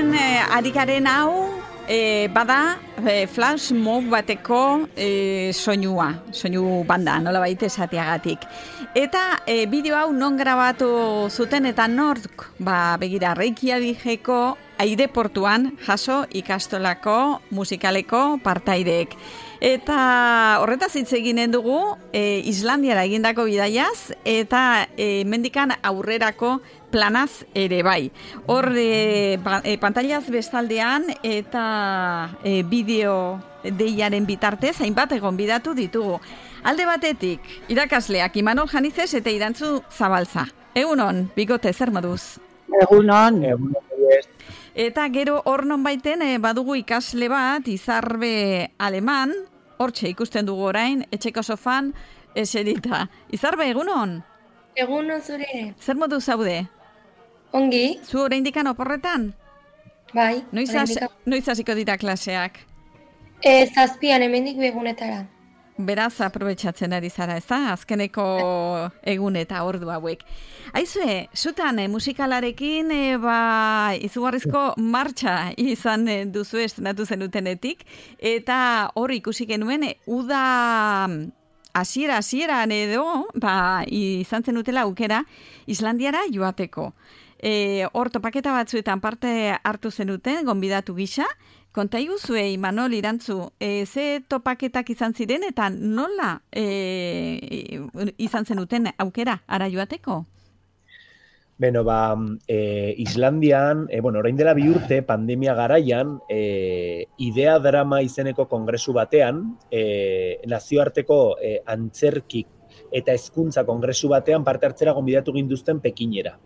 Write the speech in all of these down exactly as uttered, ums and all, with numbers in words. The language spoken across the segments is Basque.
entzuten e, ari garen hau, e, bada e, flash mob bateko e, soinua, soinu banda, nola baita esateagatik. Eta e, bideo hau non grabatu zuten eta nork, ba, begira, Reykjavikeko aireportuan jaso ikastolako musikaleko partaideek. Eta horretaz hitz eginen dugu e, Islandiara egindako bidaiaz eta e, mendikan aurrerako planaz ere bai. Hor e, ba, e, pantailaz bestaldean eta e, bideo deiaren bitartez hainbat gonbidatu ditugu. Alde batetik, irakasleak Imanol Janizes eta Irantzu Zabalza. Egunon, bigote, zer moduz? Egunon. Egunon. Eta gero hor non baiten e, badugu ikasle bat, Izarbe Aleman, hortxe ikusten dugu orain, etxeko sofan eserita. Izarbe, egunon? Egunon zure. Zer modu zaude? Ongi. Zu oraindikan oporretan? Bai. Noiz, has, noiz hasiko dira klaseak? E, zazpian, hemendik begunetara. Beraz, aprobetxatzen ari zara, ez da? Azkeneko egun eta ordu hauek. Aizue, zutan eh, musikalarekin eh, ba, izugarrizko martxa izan eh, duzu estrenatu zenutenetik, eta hor ikusi genuen, eh, uda hasiera hasieran edo, ba, izan zenutela aukera Islandiara joateko. Eh, hor topaketa batzuetan parte hartu zenuten, gonbidatu gisa. Konta iguzue, Imanol, Irantzu, e, ze topaketak izan ziren eta nola e, izan zenuten aukera ara joateko? Beno, ba, e, Islandian, e, bueno, orain dela bi urte, pandemia garaian, e, Idea Drama izeneko kongresu batean, e, nazioarteko e, antzerki eta hezkuntza kongresu batean parte hartzera gonbidatu ginduzten Pekinera.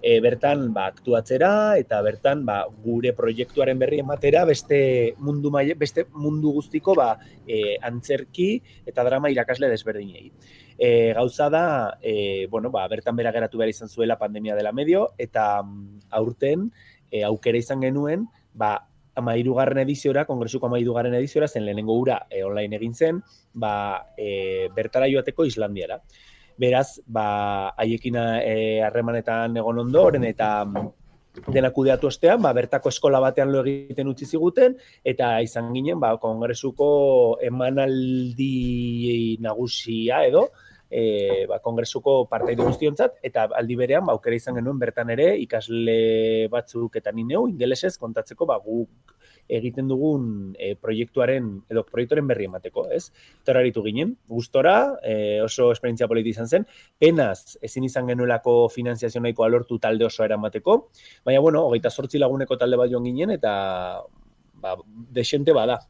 E, bertan ba, aktuatzera eta bertan ba, gure proiektuaren berri ematera beste mundu maile, beste mundu guztiko ba, e, antzerki eta drama irakasle desberdinei. E, gauza da, e, bueno, ba, bertan bera geratu behar izan zuela pandemia dela medio eta aurten e, aukera izan genuen ba, amairugarren ediziora, kongresuko amairugarren ediziora, zen lehenengo ura e, online egin zen, ba, e, bertara joateko Islandiara. Beraz, ba, haiekin harremanetan egon ondoren eta dena kudeatu ostean, ba, bertako eskola batean lo egiten utzi ziguten, eta izan ginen, ba, kongresuko emanaldi nagusia edo, e, ba, kongresuko partaide guztiontzat, eta aldi berean, ba, aukera izan genuen bertan ere, ikasle batzuk eta ni neu, ingelesez kontatzeko, ba, guk egiten dugun e, proiektuaren edo proiektuaren berri emateko, ez? Toraritu ginen, gustora, e, oso esperientzia politi izan zen, penaz ezin izan genuelako finanziazio nahikoa lortu talde oso eramateko, baina, bueno, hogeita zortzi laguneko talde bat joan ginen, eta ba, desente bada.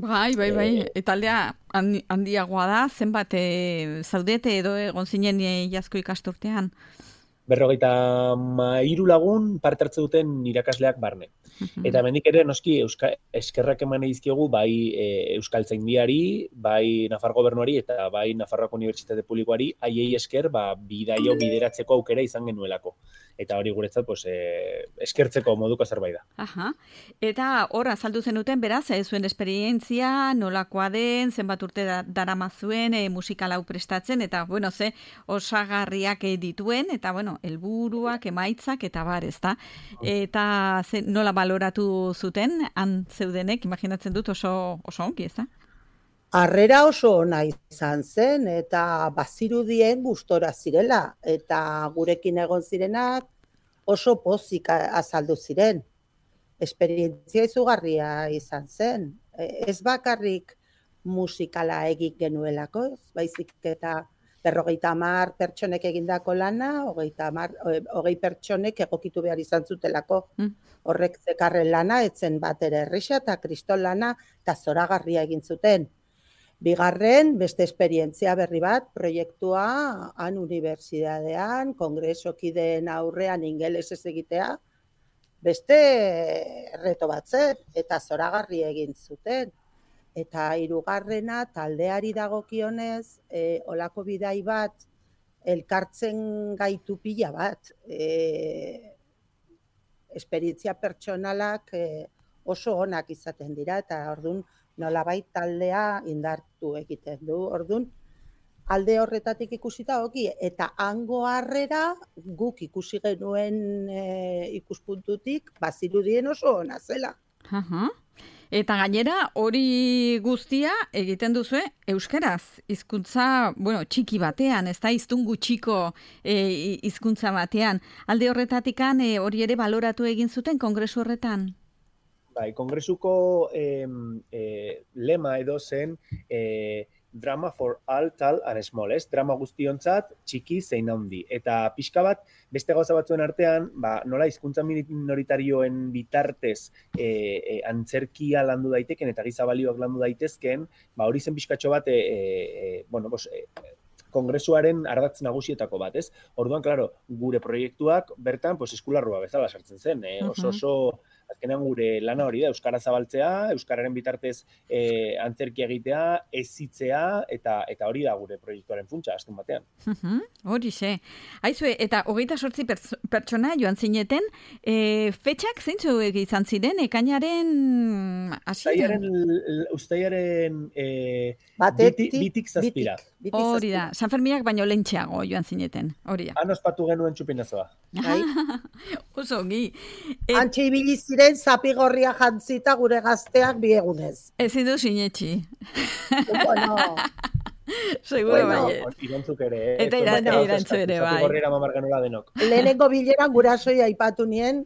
Bai, bai, bai, e, taldea handiagoa da, zenbat e, zaudete edo egon zinen e, jazko ikasturtean? Berrogeita hiru lagun parte hartze duten irakasleak barne. Eta hemendik ere noski euska, eskerrak eman dizkiegu bai e, Euskaltzaindiari, bai Nafar Gobernuari eta bai Nafarroako Unibertsitate Publikoari haiei esker ba, bidaio bideratzeko aukera izan genuelako. Eta hori guretzat pues, e, eskertzeko moduko zerbait da. Aha. Eta hor azaldu zenuten beraz, ez zuen esperientzia, nolakoa den, zenbat urte da, daramazuen e, musikal hau prestatzen, eta bueno, ze osagarriak e, dituen, eta bueno, helburuak, emaitzak, eta bar, ezta? Eta ze, nola baloratu zuten, han zeudenek, imaginatzen dut oso, oso ongi, ezta? Harrera oso ona izan zen, eta bazirudien gustora zirela, eta gurekin egon zirenak oso pozik azaldu ziren. Esperientzia izugarria izan zen. Ez bakarrik musikala egik genuelako, baizik eta berrogeita hamar pertsonek egindako lana, hogeita hamar, hogei pertsonek egokitu behar izan zutelako. Mm. Horrek zekarren lana, etzen bat ere errisa eta kriston lana eta zoragarria egin zuten. Bigarren, beste esperientzia berri bat, proiektua han unibertsitatean, kongresokideen aurrean ingelesez egitea, beste reto bat zen, eta zoragarri egin zuten. Eta hirugarrena taldeari dagokionez, e, olako bidai bat, elkartzen gaitu pila bat. E, esperientzia pertsonalak e, oso onak izaten dira, eta orduan nolabait taldea indartu egiten du. Orduan, alde horretatik ikusita oki, eta hango harrera guk ikusi genuen e, ikuspuntutik bazirudien oso ona zela. Aha. Eta gainera hori guztia egiten duzue euskeraz, hizkuntza, bueno, txiki batean, ez da hiztun gutxiko e, hizkuntza batean. Alde horretatikan e, hori ere baloratu egin zuten kongresu horretan? Bai, kongresuko eh, eh, lema edo zen eh, drama for all, tall and small, ez? Drama guztiontzat, txiki zein handi. Eta pixka bat, beste gauza batzuen artean, ba, nola hizkuntza minoritarioen bitartez e, e, antzerkia landu daiteken eta giza balioak landu daitezken, ba, hori zen pixkatxo bat, e, e, bueno, bos, e, kongresuaren ardatz nagusietako bat, ez? Orduan, klaro, gure proiektuak bertan, pues, eskularrua bezala sartzen zen, eh? oso oso azkenean gure lana hori da, euskara zabaltzea, euskararen bitartez e, antzerkia egitea, ezitzea, eta eta hori da gure proiektuaren funtsa, azken batean. Uh-huh, hori ze. Aizue, eta hogeita sortzi pertsona joan zineten, e, fetxak zeintzu izan ziren, ekainaren hasieran? Uztailaren e, Batetik, biti, bitik zazpira. Bitik, hori da, San Ferminak baino lehentxeago joan zineten, hori da. Han ospatu genuen txupinazoa. Oso ongi. Et... Antxe ibili ziren zapigorria jantzita gure gazteak biegunez. Ezin du sinetxi. Bueno... Seguro bueno, bai. Irantzuk ere. Eh? Eta iran, bueno, irantzu ere, bai. Zapigorriera mamar genuela denok. Lehenengo bileran gurasoi aipatu nien,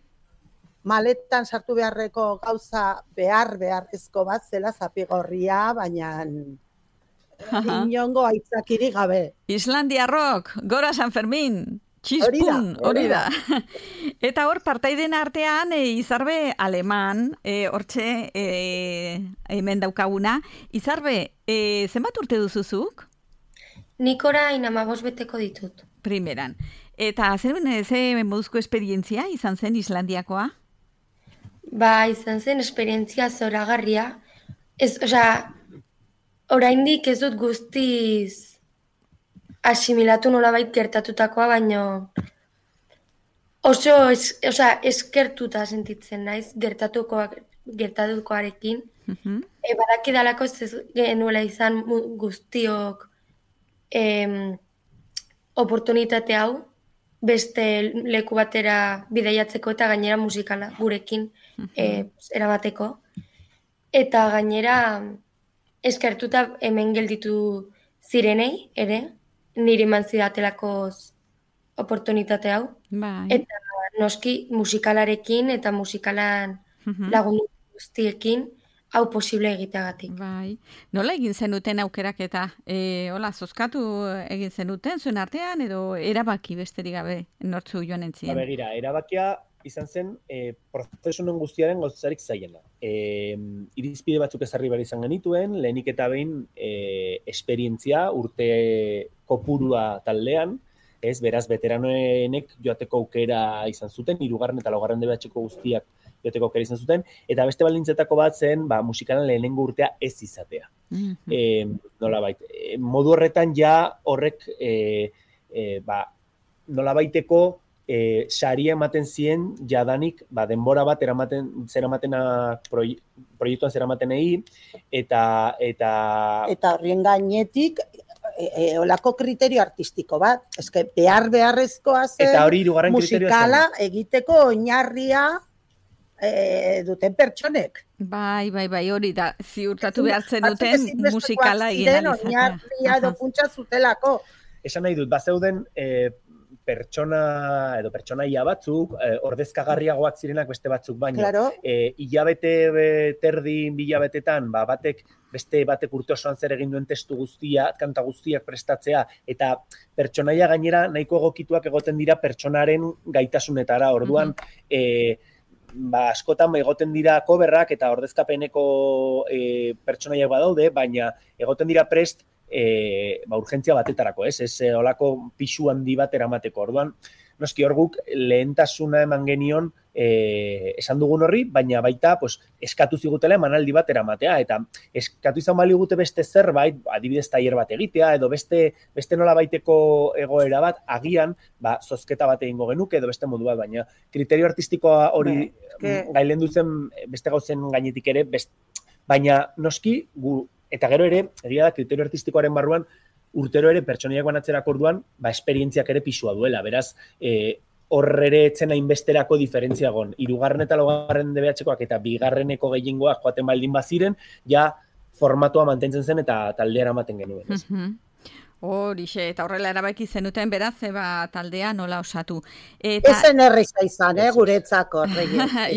maletan sartu beharreko gauza behar beharrezko bat zela zapigorria, baina... Inongo aitzakiri gabe. Islandiarrok, gora San Fermin! Txispun, hori da. Eta hor, partaiden artean, e, Izarbe aleman, e, hortxe e, hemen daukaguna. Izarbe, e, zenbat urte duzuzuk? Nik orain amabos beteko ditut. Primeran. Eta zer, ze moduzko esperientzia izan zen Islandiakoa? Ba, izan zen esperientzia zoragarria. Ez, osea, oraindik ez dut guztiz asimilatu nolabait gertatutakoa, baino oso es, osea, eskertuta sentitzen naiz gertatukoak gertatukoarekin. Uh-huh. E, badaki dalako ez genuela izan guztiok em, oportunitate hau beste leku batera bidaiatzeko eta gainera musikala gurekin uh-huh. e, erabateko. Eta gainera eskertuta hemen gelditu zirenei ere, niri eman zidatelako oportunitate hau. Bai. Eta noski musikalarekin eta musikalan uh-huh. lagundu guztiekin hau posible egiteagatik. Bai. Nola egin zenuten aukerak eta e, hola, zozkatu egin zenuten zuen artean edo erabaki besterik gabe nortzu joan entzien? Ba, begira, erabakia izan zen e, prozesunen guztiaren gauzarik zaiena. E, irizpide batzuk ezarri behar izan genituen, lehenik eta behin e, esperientzia urte kopurua taldean, ez, beraz, veteranoenek joateko aukera izan zuten, hirugarren eta laugarren D B H-ko guztiak joateko aukera izan zuten, eta beste baldintzetako bat zen, ba, musikalan lehenengo urtea ez izatea. Mm-hmm. E, nolabait, e, modu horretan ja horrek e, e, ba, nolabaiteko E, saria ematen zien jadanik ba, denbora bat eramaten, zeramatena proie, proiektuan zeramatenei eta eta eta horrien gainetik e, e, olako kriterio artistiko bat, eske behar beharrezkoa zen eta hori hirugarren musikala egiteko oinarria e, duten pertsonek. Bai, bai, bai, hori da, ziurtatu behartzen duten musikala egin alizatea. Oinarria edo funtsa zutelako. Esan nahi dut, bazeuden e, pertsona edo pertsonaia batzuk, eh, ordezkagarriagoak zirenak beste batzuk baino. Claro. Eh, hilabete terdi hilabetetan, ba, batek beste batek urte osoan zer egin duen testu guztia, kanta guztiak prestatzea, eta pertsonaia gainera nahiko egokituak egoten dira pertsonaren gaitasunetara. Orduan, mm-hmm. eh, ba, askotan egoten dira coverrak eta ordezkapeneko eh, pertsonaiak badaude, baina egoten dira prest E, ba, urgentzia batetarako, ez? Ez olako pixu handi bat eramateko. Orduan, noski hor guk lehentasuna eman genion e, esan dugun horri, baina baita pues, eskatu zigutela emanaldi bat eramatea, eta eskatu izan bali gute beste zerbait, adibidez tailer bat egitea, edo beste, beste nola baiteko egoera bat, agian, ba, zozketa bat egingo genuke, edo beste modu bat, baina kriterio artistikoa hori que... gailen duzen beste gauzen gainetik ere, best, baina noski gu eta gero ere, egia da, kriterio artistikoaren barruan, urtero ere pertsoniak banatzerak orduan, ba, esperientziak ere pisua duela, beraz, e, hor ere etzen hainbesterako diferentzia gon. Hirugarren eta laugarren D B H-koak eta bigarreneko gehiengoak joaten baldin baziren, ja formatua mantentzen zen eta taldea eramaten genuen. Ez? Horixe, eta horrela erabaki zenuten beraz, eba taldea nola osatu. Eta... Ezen erreza izan, eh, guretzako.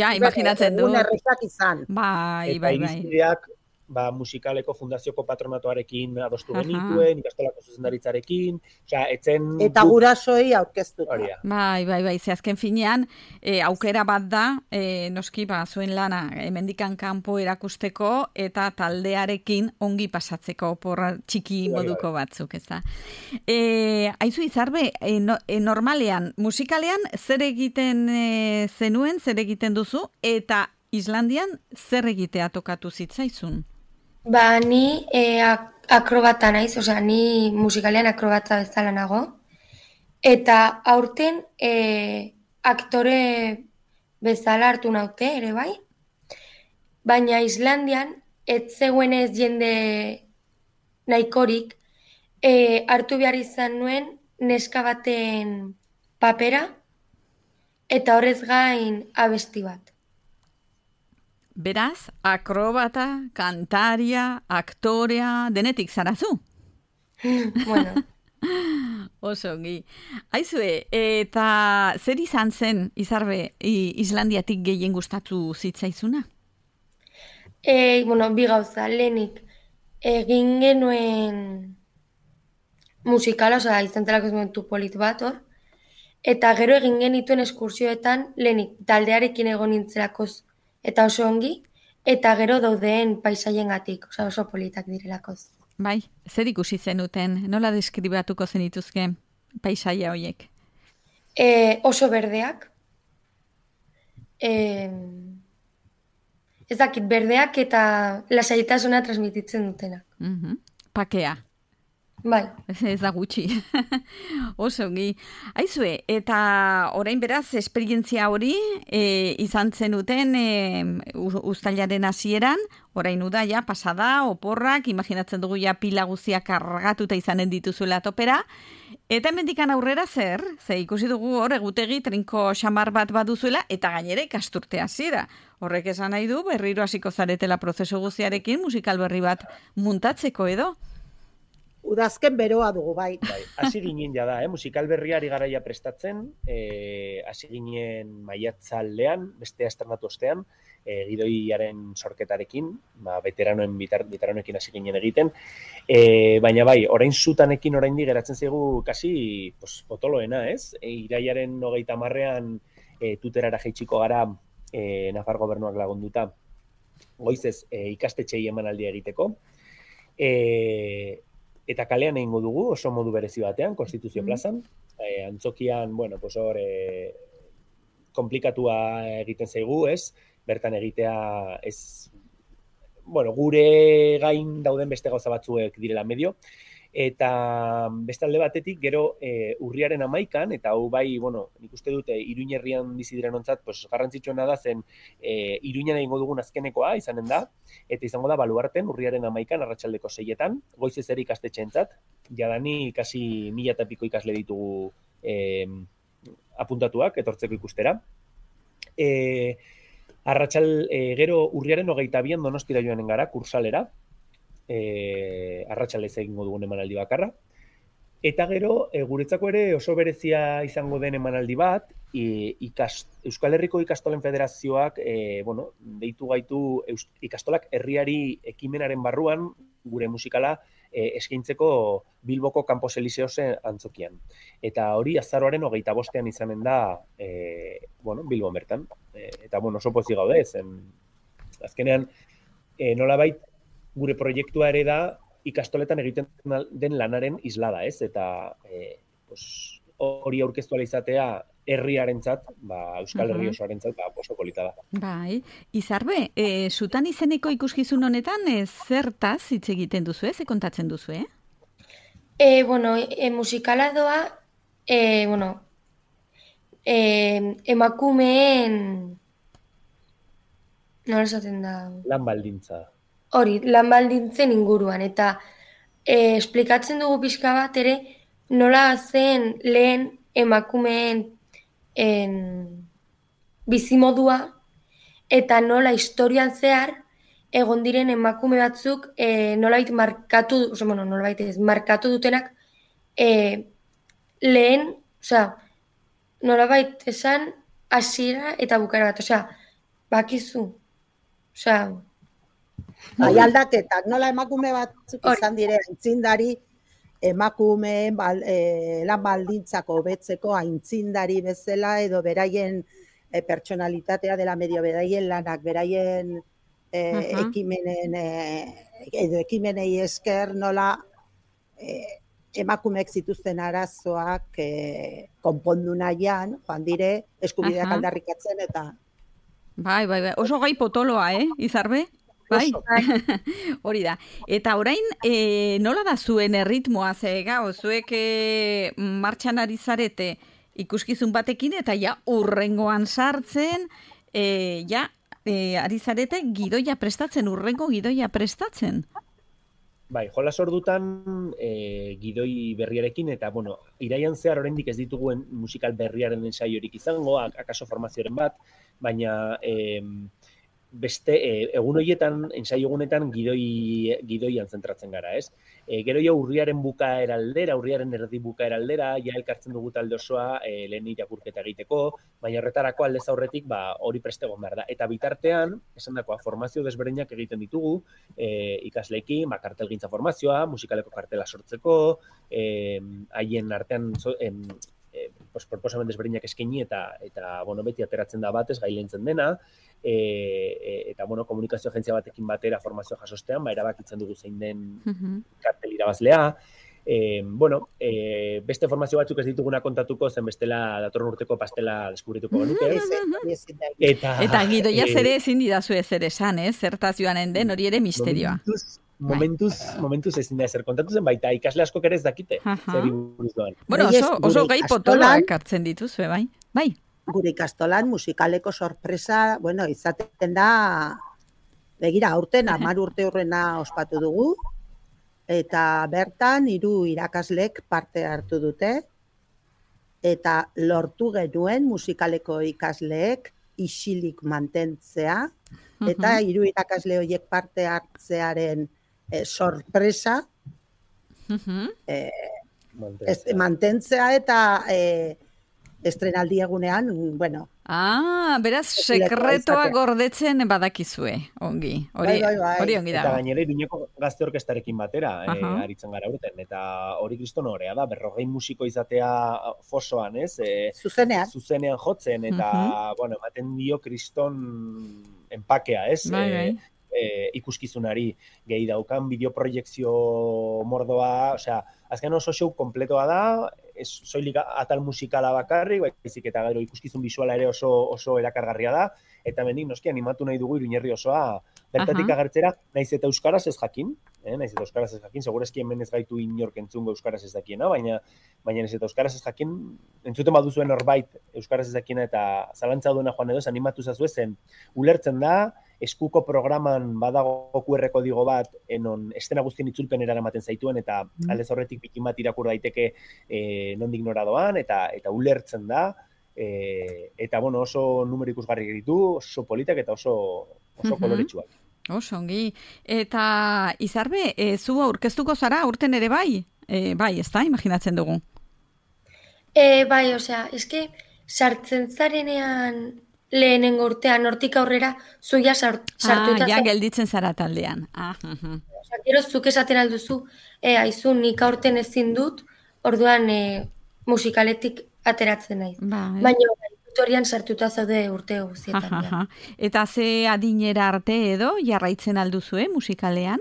Ja, imaginatzen du. Egun errezak izan. Bai, eta bai, bai. irizpideak, ba, musikaleko fundazioko patronatuarekin adostu genituen, ikastolako zuzendaritzarekin, osea, etzen... Eta gurasoei aurkeztuta. Bai, bai, bai, ze azken finean, e, aukera bat da, e, noski, ba, zuen lana, hemendikan kanpo erakusteko, eta taldearekin ongi pasatzeko, porra txiki moduko batzuk, ez da. E, aizu Izarbe, e, no, e, normalean, musikalean, zer egiten e, zenuen, zer egiten duzu, eta Islandian zer egitea tokatu zitzaizun? Ba, ni e, ak akrobata naiz, osea, ni musikalean akrobata bezala nago. Eta aurten e, aktore bezala hartu naute, ere bai. Baina Islandian, ez zegoenez jende nahikorik, e, hartu behar izan nuen neska baten papera, eta horrez gain abesti bat. Beraz, akrobata, kantaria, aktorea, denetik zarazu? Bueno. Oso ongi. Aizue, eta zer izan zen, Izarbe, Islandiatik gehien gustatu zitzaizuna? E, bueno, bi gauza, lehenik, egin genuen musikala, oza, izan zelako ez momentu polit bat hor, eta gero egin genituen eskursioetan, lehenik, taldearekin egon nintzelakoz, eta oso ongi, eta gero daudeen paisaiengatik, oza, oso politak direlakoz. Bai, zer ikusi zenuten, nola deskribatuko zenituzke paisaia horiek? E, oso berdeak, e, ez dakit, berdeak eta lasaitasuna transmititzen dutenak. Mm-hmm. Pakea. Bai. Ez da gutxi. Oso ongi. Aizue, eta orain beraz, esperientzia hori e, izan zenuten e, uztailaren hasieran, orain uda ja, pasada, oporrak, imaginatzen dugu ja pila guztiak kargatuta izanen dituzuela topera, eta hemendikan aurrera zer, ze ikusi dugu hor egutegi trinko xamar bat baduzuela, eta gainera ikasturte hasiera. Horrek esan nahi du, berriro hasiko zaretela prozesu guztiarekin musikal berri bat muntatzeko edo. Udazken beroa dugu, bai. Bai, hasi ginen ja da, eh? Musikal berriari garaia prestatzen, eh, hasi ginen maiatzaldean, beste estrenatu ostean, eh, gidoiaren sorketarekin, ba, veteranoen bitar, veteranoekin hasi ginen egiten, eh, baina bai, orain zutanekin oraindik geratzen zaigu kasi pues, potoloena, ez? E, iraiaren hogeita hamarrean e, tuterara jaitsiko gara e, Nafar gobernuak lagunduta, goizez e, ikastetxei emanaldia egiteko, e, eta kalean egingo dugu, oso modu berezi batean, Konstituzio plazan. E, antzokian, bueno, pues hor, e, komplikatua egiten zaigu, ez? Bertan egitea, ez, bueno, gure gain dauden beste gauza batzuek direla medio. Eta beste alde batetik, gero e, urriaren amaikan, eta hau bai, bueno, nik uste dute Iruin herrian bizi diren ontzat, pues, garrantzitsuena da zen e, Iruinen egingo dugun azkenekoa izanen da, eta izango da Baluarten urriaren amaikan, arratsaldeko seietan, goizez ere ikastetxeentzat, jadani kasi mila eta piko ikasle ditugu e, apuntatuak, etortzeko ikustera. E, arratsal, e, gero urriaren hogeita bian Donostira joanen gara, kursalera, E, arratsalez egingo dugun emanaldi bakarra. Eta gero, e, guretzako ere oso berezia izango den emanaldi bat, e, ikas, Euskal Herriko Ikastolen Federazioak e, bueno, deitu gaitu eus, ikastolak herriari ekimenaren barruan gure musikala e, eskaintzeko Bilboko Campos Elíseosen antzokian. Eta hori azaroaren hogeita bostean izanen da e, bueno, Bilbon bertan. E, eta bueno, oso pozik gaude, zen azkenean e, nolabait gure proiektua ere da ikastoletan egiten den lanaren islada, ez? Eta e, pues, hori aurkeztu ala izatea herriarentzat, ba, Euskal Herri osoarentzat, ba, oso polita da. Bai, Izarbe, e, zutan izeneko ikuskizun honetan e, zertaz hitz egiten duzu, ze kontatzen duzu, eh? E, bueno, e, musikala doa, e, bueno, e, emakumeen, nola esaten da? Lan baldintza. Hori, lan baldintzen inguruan, eta e, esplikatzen dugu pixka bat ere nola zen lehen emakumeen en, bizimodua eta nola historian zehar egon diren emakume batzuk e, nolabait markatu, oso, bueno, nolabait ez, markatu dutenak e, lehen, osea, nolabait esan hasiera eta bukaera bat, osea, bakizu, osea, bai aldaketak, nola emakume batzuk izan dire aintzindari, emakumeen bal, e, lan baldintzak hobetzeko aintzindari bezala edo beraien e, pertsonalitatea dela medio, beraien lanak, beraien e, uh-huh. ekimenen e, edo ekimenei esker nola e, emakumeek zituzten arazoak e, konpondu nahian, joan dire eskubideak uh-huh. aldarrikatzen eta bai, bai, bai, oso gai potoloa, eh, Izarbe? Bai, hori da. Eta orain, e, nola da zuen erritmoa, ze gau, zuek e, martxan ari zarete ikuskizun batekin, eta ja urrengoan sartzen, e, ja e, ari zarete gidoia prestatzen, urrengo gidoia prestatzen. Bai, jolas ordutan e, gidoi berriarekin, eta, bueno, iraian zehar oraindik ez dituguen musikal berriaren ensaiorik izango, akaso formazioaren bat, baina e, beste, e, egun horietan, ensaio egunetan gidoi, gidoian zentratzen gara, ez? E, gero jo urriaren bukaera aldera, urriaren erdi bukaera aldera, ja elkartzen dugu talde osoa e, lehen irakurketa egiteko, baina horretarako aldez aurretik ba, hori preste egon behar da. Eta bitartean, esan dakoa, formazio desberdinak egiten ditugu, e, ikasleekin, ba, kartelgintza formazioa, musikaleko kartela sortzeko, e, haien artean zo, em, e, pues, proposamen desberdinak eskaini eta, eta bueno, beti ateratzen da batez, gailentzen dena, E, e, eta bueno, komunikazio agentzia batekin batera formazio jasostean, ba, erabakitzen dugu zein den uh-huh. kartel irabazlea. E, bueno, e, beste formazio batzuk ez dituguna kontatuko, zen bestela datorren urteko pastela deskubrituko genuke. eta, eta gidoia e, zere ezin didazu ezer esan, eh? Zertaz joanen den, hori ere misterioa. Momentuz, momentuz, momentuz ezin da ezer kontatu zen, baita ikasle asko ere ez dakite. Uh-huh. Zer buruz doan. Bueno, oso, oso gai potoloak hartzen dituzue, bai? Bai. Gure ikastolan musikaleko sorpresa, bueno, izaten da, begira, aurten hamar urte hurrena ospatu dugu, eta bertan hiru irakaslek parte hartu dute, eta lortu genuen musikaleko ikasleek isilik mantentzea, eta hiru irakasle horiek parte hartzearen eh, sorpresa eh, mantentzea. mantentzea eta eh, estrenaldi egunean, bueno. Ah, beraz, sekretoa gordetzen badakizue, ongi. Hori, bai, bai, bai. Hori ongi dago. Eta gainera, Iruñeko gazte orkestarekin batera, uh-huh. e, aritzen gara urten. Eta hori kriston horea da, berrogei musiko izatea fosoan, ez? E, zuzenean. Zuzenean jotzen, eta, uh-huh. bueno, ematen dio kriston enpakea, ez? Bai, bai. E, e, ikuskizunari gehi daukan, bideoproiekzio mordoa, osea, azken oso show kompletoa da, ez soilik atal musikala bakarrik, baizik eta gero ikuskizun bisuala ere oso oso erakargarria da, eta hemendik noski animatu nahi dugu Iruñerri osoa bertatik uh-huh. agertzera, naiz eta euskaraz ez jakin, eh, naiz eta euskaraz ez jakin, segurazki hemen ez gaitu inork entzungo euskaraz ez dakiena, baina baina naiz eta euskaraz ez jakin, entzuten baduzuen norbait euskaraz ez dakiena eta zalantza duena joan edo, animatu zazue zen, ulertzen da, eskuko programan badago Q R kodigo bat enon estena guztien itzulpen eramaten zaituen eta mm. aldez horretik bikin bat irakur daiteke e, nondik nora doan eta eta ulertzen da e, eta bueno, oso numero ikusgarri ditu, oso politak eta oso oso mm-hmm. koloretsuak. Oso ongi. Eta Izarbe, e, zu aurkeztuko zara urten ere bai? E, bai, ezta, imaginatzen dugu. E, bai, osea, eske sartzen zarenean lehenengo urtean, hortik aurrera, zuia sartuta. Ah, ja, gelditzen zara taldean. Ah, uh-huh. Osa, gero, zuk esaten alduzu, e, aizu, nik aurten ezin dut, orduan e, musikaletik ateratzen naiz. Ba, eh? Baina, tutorian sartuta zaude urte guztietan. Ja. Eta ze adinera arte edo, jarraitzen alduzue musikalean?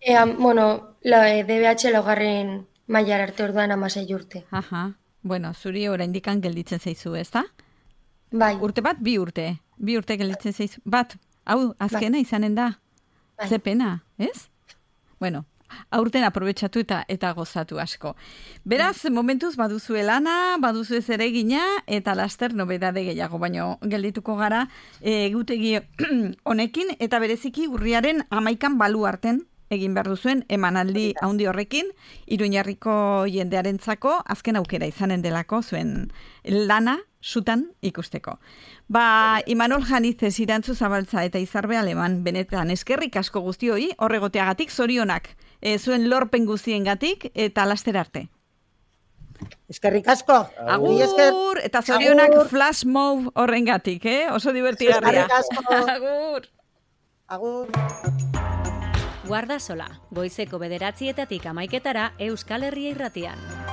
E, bueno, la, D B H laugarren mailar arte orduan amasei urte. Aha. Bueno, zuri oraindikan gelditzen zaizu, ezta? Bai. Urte bat, bi urte. Bi urte gelditzen zaizu. Bat, hau, azkena bai. Izanen da. Bai. Ze pena, ez? Bueno, aurten aprobetxatu eta eta gozatu asko. Beraz, bai. Momentuz baduzue lana, baduzue zeregina, eta laster nobedade gehiago, baino geldituko gara egutegi honekin, eta bereziki urriaren hamaikan balu arten egin behar duzuen emanaldi handi horrekin, Iruñerriko jendearentzako azken aukera izanen delako zuen lana sutan ikusteko. Ba, Imanol Janizez, Irantzu Zabaltza eta Izarbe Aleman, benetan eskerrik asko guztioi, horregoteagatik zorionak, e, zuen lorpen guztiengatik eta laster arte. Eskerrik asko. Agur, eta zorionak Agur. Flash Mob horrengatik, eh? Oso divertigarria. Eskerrik asko. Agur. Agur. Guardasola, goizeko bederatzietatik amaiketara Euskal Herria Irratian.